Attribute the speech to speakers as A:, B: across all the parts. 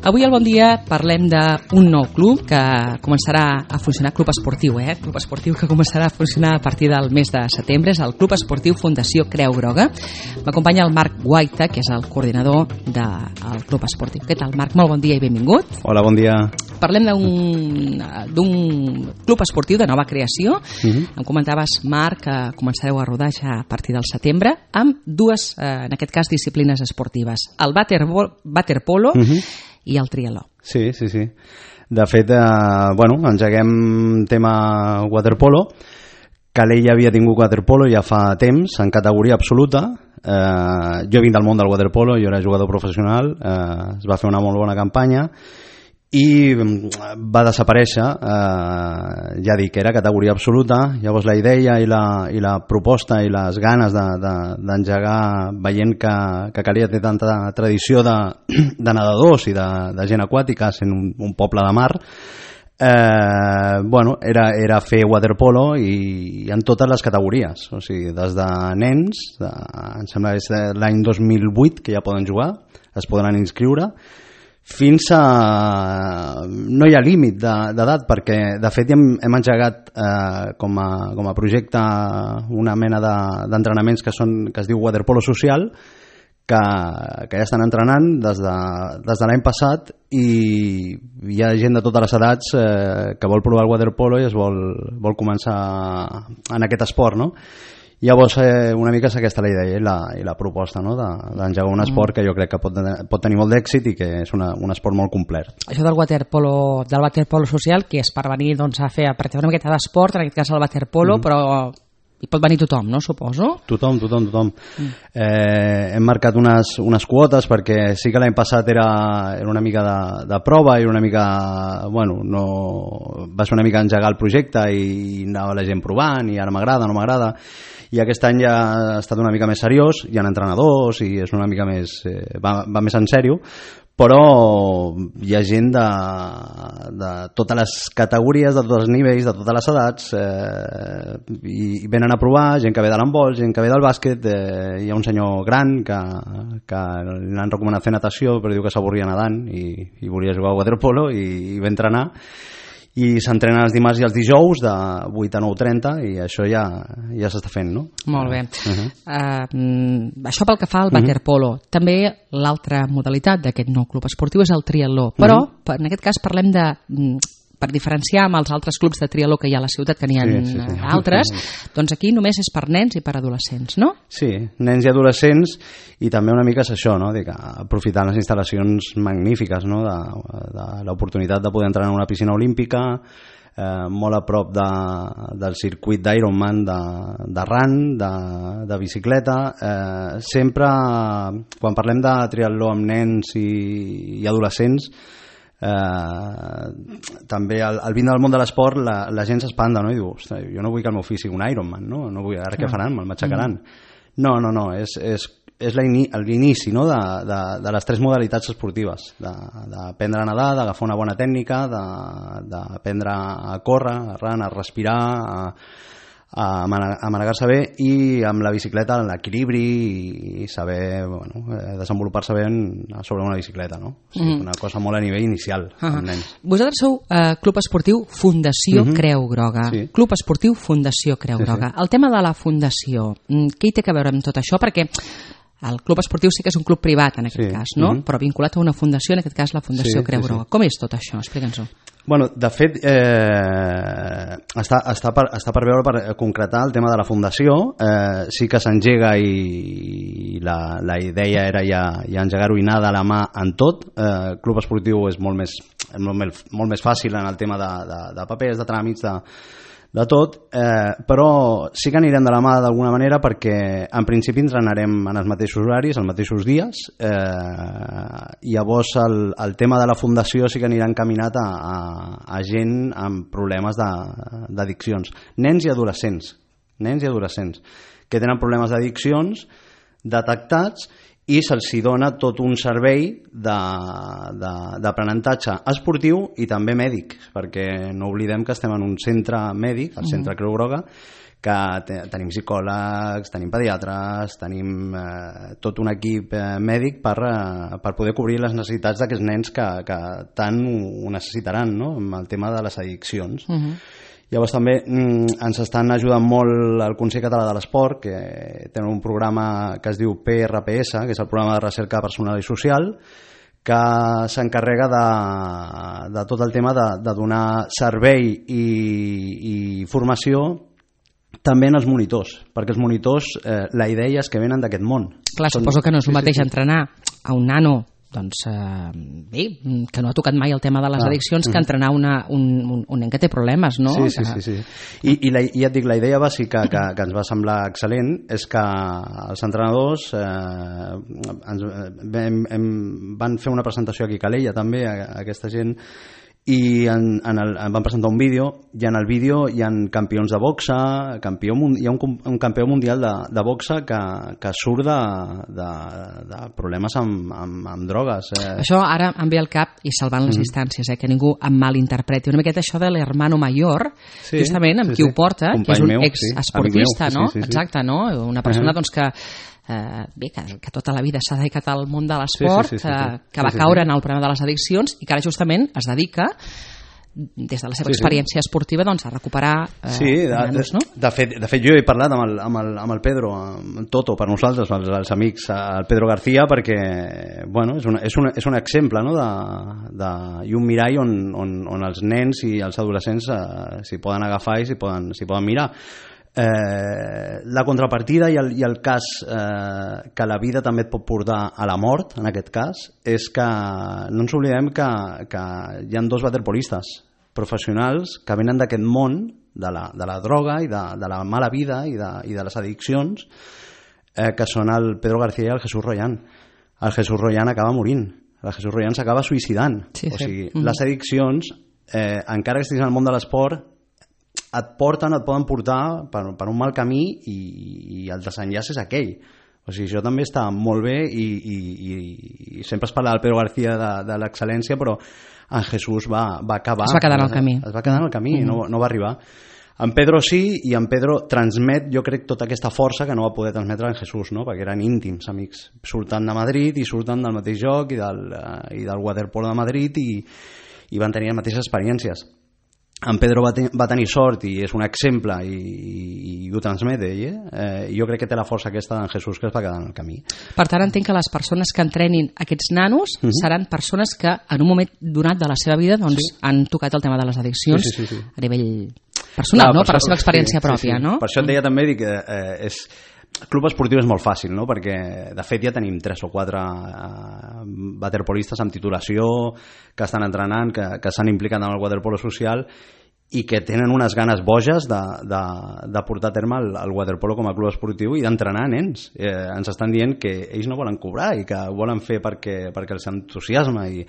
A: Avui al Bon Dia parlem d'un nou club que començarà a funcionar, club esportiu, club esportiu que començarà a funcionar a partir del mes de setembre, és el Club Esportiu Fundació Creu Groga. M'acompanya el Marc Guaita, que és el coordinador del club esportiu. Què tal, Marc? Molt bon dia i benvingut.
B: Hola, bon dia.
A: Parlem d'un club esportiu de nova creació. Em comentaves, Marc, que començareu a rodar ja a partir del setembre amb dues, en aquest cas, disciplines esportives, el waterpolo i el triatló.
B: Sí. De fet, engeguem tema waterpolo. Calella havia tingut waterpolo ja fa temps, en categoria absoluta. Jo vinc del món del waterpolo, jo era jugador professional, es va fer una molt bona campanya i va desaparèixer, ja dic, era categoria absoluta. Llavors la idea i la proposta i les ganes d'engegar, veient que Calella té tanta tradició de nedadors i de gent aquàtica, sent un poble de mar, era fer waterpolo i en totes les categories, o sigui, des de nens, em sembla que és l'any 2008 que ja poden jugar, es poden inscriure, fins a... no hi ha límit d'edat, perquè de fet hem engegat com a projecte una mena d'entrenaments que es diu waterpolo social, que ja estan entrenant des de l'any passat, i hi ha gent de totes les edats que vol provar el waterpolo i es vol començar en aquest esport, no? Llavors una mica és aquesta la idea i la proposta, no? D'engegar un esport que jo crec que pot tenir molt d'èxit i que és un esport molt complet.
A: Això del waterpolo social, que és per venir a fer una miqueta d'esport, en aquest cas el waterpolo, però hi pot venir tothom, no? Suposo. Tothom.
B: Hem marcat unes quotes, perquè sí que l'any passat era una mica de prova i una mica, va ser una mica engegar el projecte i anava la gent provant i ara m'agrada, no m'agrada, i aquest any ja ha estat una mica més seriós, hi ha entrenadors i és una mica més, va més en sèrio, però hi ha gent de totes les categories, de tots els nivells, de totes les edats, i venen a provar, gent que ve de l'handbol, gent que ve del bàsquet, hi ha un senyor gran que l'han recomanat fer natació, però diu que s'avorria nedant i volia jugar a waterpolo i va entrenar, i s'entrenen els dimarts i els dijous de 8 a 9:30 i això ja s'està fent, no?
A: Molt bé. Això pel que fa al waterpolo. També l'altra modalitat d'aquest nou club esportiu és el triatló, però en aquest cas parlem per diferenciar amb els altres clubs de triatló que hi ha a la ciutat, que n'hi ha altres, doncs aquí només és per nens i per adolescents, no?
B: Sí, nens i adolescents, i també una mica és això, no? Aprofitant les instal·lacions magnífiques, no? De l'oportunitat de poder entrar en una piscina olímpica, molt a prop del circuit d'Ironman de run, de bicicleta. Sempre, quan parlem de triatló amb nens i adolescents, també al vindre del món de l'esport la gent s'espanta, no? I diu, ostres, jo no vull que el meu fill sigui un Ironman, no? No vull, ara què faran? Me'l matxacaran. No, és l'inici, no? De les tres modalitats esportives, d'aprendre a nedar, d'agafar una bona tècnica, d'aprendre a córrer, a run, a respirar, a manegar-se bé, i amb la bicicleta l'equilibri i saber desenvolupar-se bé sobre una bicicleta, no? O sigui, una cosa molt a nivell inicial amb nens.
A: Vosaltres sou Club Esportiu Fundació Creu Groga.
B: Sí.
A: Club Esportiu Fundació Creu Groga. El tema de la fundació, què hi té a veure amb tot això? Perquè el club esportiu sí que és un club privat en aquest cas, no? Però vinculat a una fundació, en aquest cas la Fundació Creu Groga. Com és tot això? Explica'ns-ho.
B: De fet, està per veure, per concretar el tema de la fundació. Sí que s'engega i la idea era ja engegar-ho i anar de la mà en tot. Club esportiu és molt més fàcil en el tema de papers, de tràmits, de tot, però sí que anirem de la mà d'alguna manera, perquè en principi entrenarem en els mateixos horaris, els mateixos dies, i llavors el tema de la fundació sí que anirà encaminat a gent amb problemes d'addiccions, nens i adolescents que tenen problemes d'addiccions detectats, i se'ls dona tot un servei d'aprenentatge esportiu i també mèdic, perquè no oblidem que estem en un centre mèdic, el Centre Creu Groga, tenim psicòlegs, tenim pediatres, tenim tot un equip mèdic per poder cobrir les necessitats d'aquests nens que tant ho necessitaran, no?, amb el tema de les addiccions. Llavors també ens estan ajudant molt el Consell Català de l'Esport, que tenen un programa que es diu PRPS, que és el programa de recerca personal i social, que s'encarrega de tot el tema de donar servei i formació també en els monitors, perquè els monitors la idea és que venen d'aquest món.
A: Clar, suposo que no és el mateix entrenar a un nano bé, que no ha tocat mai el tema de les addiccions que entrenar un nen que té problemes, no?
B: Sí. I ja et dic, la idea bàsica que ens va semblar excel·lent és que els entrenadors van fer una presentació aquí a Calella també, a aquesta gent, i van presentar un vídeo, i en el vídeo hi ha campions de boxa, hi ha un campió mundial de boxa que surt de problemes amb drogues.
A: Això ara em ve al cap, i salvant les distàncies, que ningú em malinterpreti, una miqueta això de l'hermano mayor, justament amb qui ho porta, que és un exesportista, no? Exacte, no? Una persona que bé, que tota la vida s'ha dedicat al món de l'esport, que va caure en el problema de les addiccions i que ara justament es dedica des de la seva experiència esportiva a recuperar nanos, no?
B: De fet jo he parlat amb el Pedro, amb Toto, per nosaltres, els amics, el Pedro García, perquè és un exemple, no?, i un mirall on els nens i els adolescents s'hi poden agafar i s'hi poden mirar. La contrapartida i el cas que la vida també et pot portar a la mort, en aquest cas, és que no ens oblidem que hi ha 2 waterpolistes professionals que venen d'aquest món de la droga i de la mala vida i de les addiccions, que són el Pedro García i el Jesús Royan. El Jesús Royan acaba morint, el Jesús Royan s'acaba suïcidant. O sigui, les addiccions, encara que estiguis en el món de l'esport, et poden portar per un mal camí i el desenllaç és aquell. O sigui, això també està molt bé i sempre es parla del Pedro García de l'excel·lència, però en Jesús va acabar.
A: Es va quedar en el camí.
B: Es va quedar en el camí, no va arribar. En Pedro sí, i en Pedro transmet, jo crec, tota aquesta força que no va poder transmetre en Jesús, no?, perquè eren íntims amics. Surten de Madrid i surten del mateix joc i del waterpolo de Madrid i van tenir les mateixes experiències. En Pedro va tenir sort i és un exemple i ho transmet ell, jo crec que té la força aquesta d'en Jesús que es va quedar en el camí.
A: Per tant, entenc que les persones que entrenin aquests nanos seran persones que en un moment donat de la seva vida han tocat el tema de les addiccions a nivell personal, no? Per la seva experiència pròpia, no?
B: Per això et deia també que club esportiu és molt fàcil, no?, perquè de fet ja tenim 3 o 4 waterpolistes amb titulació que estan entrenant, que s'han implicat en el waterpolo social i que tenen unes ganes boges de portar a terme el waterpolo com a club esportiu i d'entrenar nens. Ens estan dient que ells no volen cobrar i que ho volen fer perquè els entusiasma, i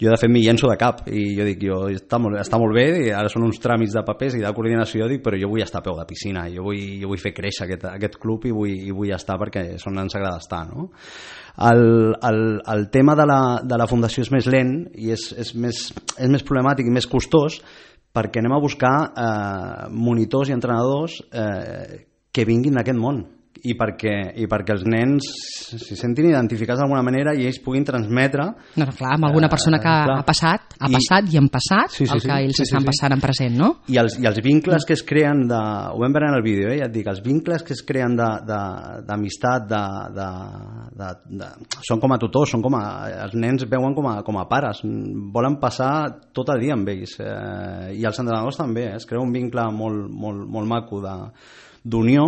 B: jo de fet m'hi llenço de cap i jo dic, està molt bé, i ara són uns tràmits de papers i de coordinació, però jo vull estar a peu de piscina, jo vull fer créixer aquest club i vull estar perquè és on ens agrada estar, no? El tema de la fundació és més lent i és més problemàtic i més costós, perquè anem a buscar monitors i entrenadors que vinguin d'aquest món i perquè els nens s'hi sentin identificats d'alguna manera i ells puguin transmetre...
A: No, clar, amb alguna persona que ha passat i han passat el que ells estan passant en present, no?
B: I els vincles que es creen ho vam veure en el vídeo, ja et dic, els vincles que es creen d'amistat, són com a tutors, els nens veuen com a pares, volen passar tot el dia amb ells, i els entrenadors també, es crea un vincle molt maco d'unió,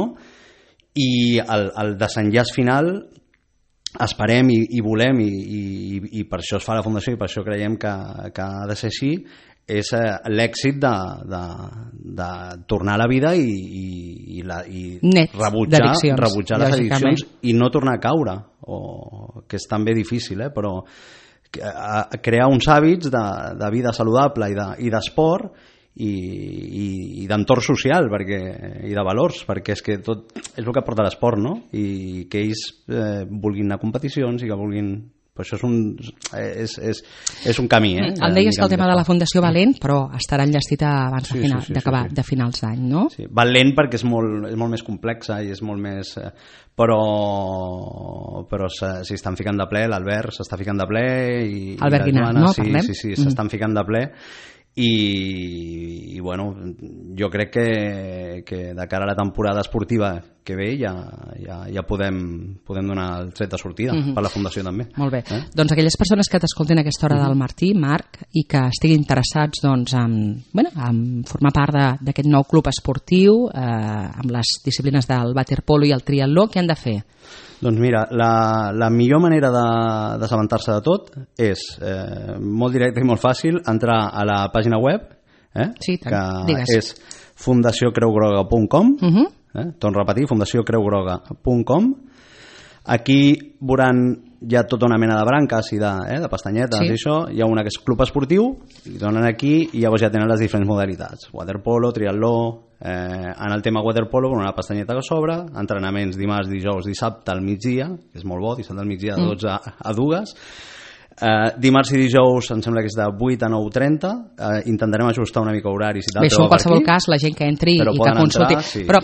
B: i el desenllaç final esperem i volem i per això es fa la fundació i per això creiem que ha de ser així, és l'èxit de tornar a la vida i rebutjar les addiccions i no tornar a caure, que és també difícil, però crear uns hàbits de vida saludable i d'esport i d'entorn social i de valors, perquè és que tot és el que porta l'esport, no? I que ells vulguin anar a competicions i que vulguin Però això és un camí.
A: Em deies que el tema de la Fundació va lent, però estarà enllestit abans d'acabar de finals d'any, no?
B: Sí, va lent perquè és molt més complexa i és molt més... Però s'hi estan ficant de ple, l'Albert s'està ficant de ple i
A: Albert Guinart, no? Parlem?
B: Sí, s'estan ficant de ple i bueno, jo crec que de cara a la temporada esportiva que ve ja podem donar el tret de sortida per la Fundació també.
A: Molt bé, doncs aquelles persones que t'escoltin a aquesta hora del Martí, Marc, i que estiguin interessats doncs, en formar part d'aquest nou club esportiu amb les disciplines del waterpolo i el triatló, què han de fer?
B: Doncs mira, la millor manera d'assabentar-se de tot és molt directe i molt fàcil entrar a la pàgina web
A: sí,
B: que
A: digues.
B: és fundaciocreugroga.com torno a repetir, fundaciocreugroga.com. Aquí veuran ja tota una mena de branques i de pestanyetes i això, hi ha una que és club esportiu i donen aquí i llavors ja tenen les diferents modalitats, waterpolo, triatló, en el tema waterpolo con una pestanyeta que s'obre, entrenaments dimarts, dijous, dissabte al migdia, que és molt bo, dissabte al migdia de 12 a 2, dimarts i dijous em sembla que és de 8 a 9:30, intentarem ajustar una mica horaris i tal.
A: Bé, això en qualsevol cas la gent que entri i que consulti però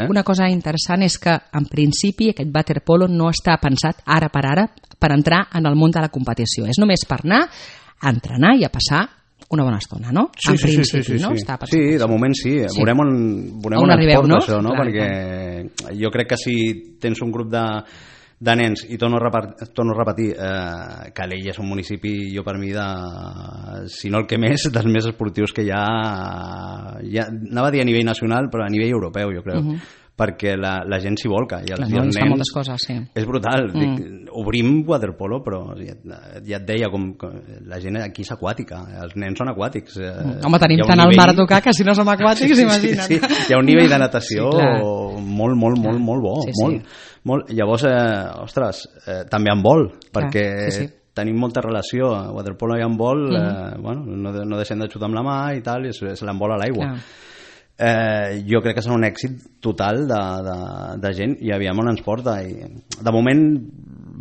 A: una cosa interessant és que en principi aquest waterpolo no està pensat ara per entrar en el món de la competició, és només per anar a entrenar i a passar una bona estona, no? En principi, no?
B: Sí, de moment sí. Veurem on
A: arribeu,
B: no? Això, no? Perquè jo crec que si tens un grup de nens, i torno a repetir, Calella és un municipi, jo per mi, si no el que més, dels més esportius que hi ha, anava a dir a nivell nacional, però a nivell europeu, jo crec. Perquè la gent s'hi volca i els nens,
A: moltes coses, sí.
B: És brutal. Obrim waterpolo, però ja et deia com la gent aquí és aquàtica, els nens són aquàtics.
A: Home, tenim tant el mar a tocar que si no som aquàtics, imagina't.
B: Sí, hi ha un nivell de natació molt bo, molt. Llavors, ostres, també en vol, perquè tenim molta relació, waterpolo i en vol, no deixem de xutar amb la mà i tal, i se l'envola a l'aigua. Jo crec que serà un èxit total de gent i aviam on ens porta i de moment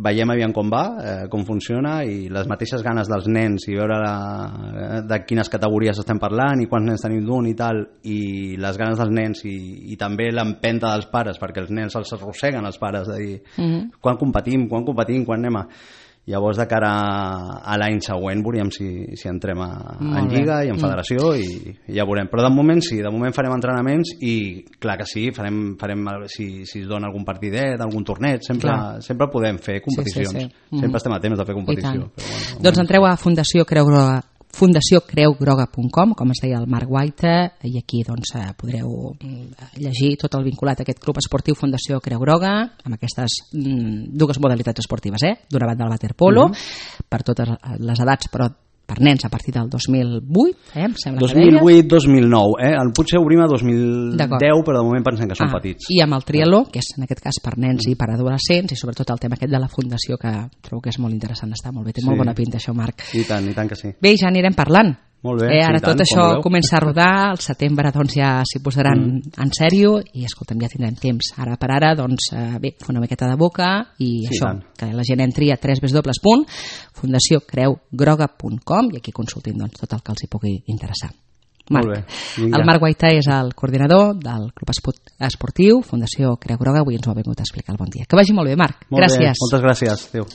B: veiem aviam com va, com funciona i les mateixes ganes dels nens i veure de quines categories estem parlant i quants nens tenim d'un i tal i les ganes dels nens i també l'empenta dels pares perquè els nens els arrosseguen els pares de dir quan competim, quan anem a... Llavors, de cara a l'any següent, veuríem si entrem en Lliga i en Federació i ja veurem. Però de moment sí, de moment farem entrenaments i clar que sí, farem si es dona algun partidet, algun torneig, sempre podem fer competicions. Sempre estem a temps de fer competició.
A: Doncs entreu a fundaciocreugroga.com, com es deia el Marc Guaita, i aquí doncs, podreu llegir tot el vinculat a aquest club esportiu Fundació Creu Groga, amb aquestes dues modalitats esportives, d'una banda el waterpolo, per totes les edats, però per nens a partir del 2008, em sembla
B: 2008-2009, el potser obrim a 2010, però de moment pensem que són petits.
A: I amb el triatló, que és en aquest cas per nens i per adolescents, i sobretot el tema aquest de la fundació, que trobo que és molt interessant, està molt bé, té molt bona pinta això, Marc.
B: I tant que sí.
A: Bé, ja anirem parlant.
B: Molt bé,
A: ara tot això comença a rodar, al setembre doncs ja s'hi posaran en sèrio i escolta'm, ja tindrem temps. Ara per ara, doncs bé, fer una miqueta de boca i això, que la gent entri a www.fundaciocreugroga.com i aquí consultin doncs, tot el que els hi pugui interessar. Marc. El Marc Guaita és el coordinador del Club Esportiu Fundació Creu Groga, avui ens ho ha vingut a explicar el bon dia. Que vagi molt bé, Marc. Gràcies.
B: Moltes gràcies. Adéu.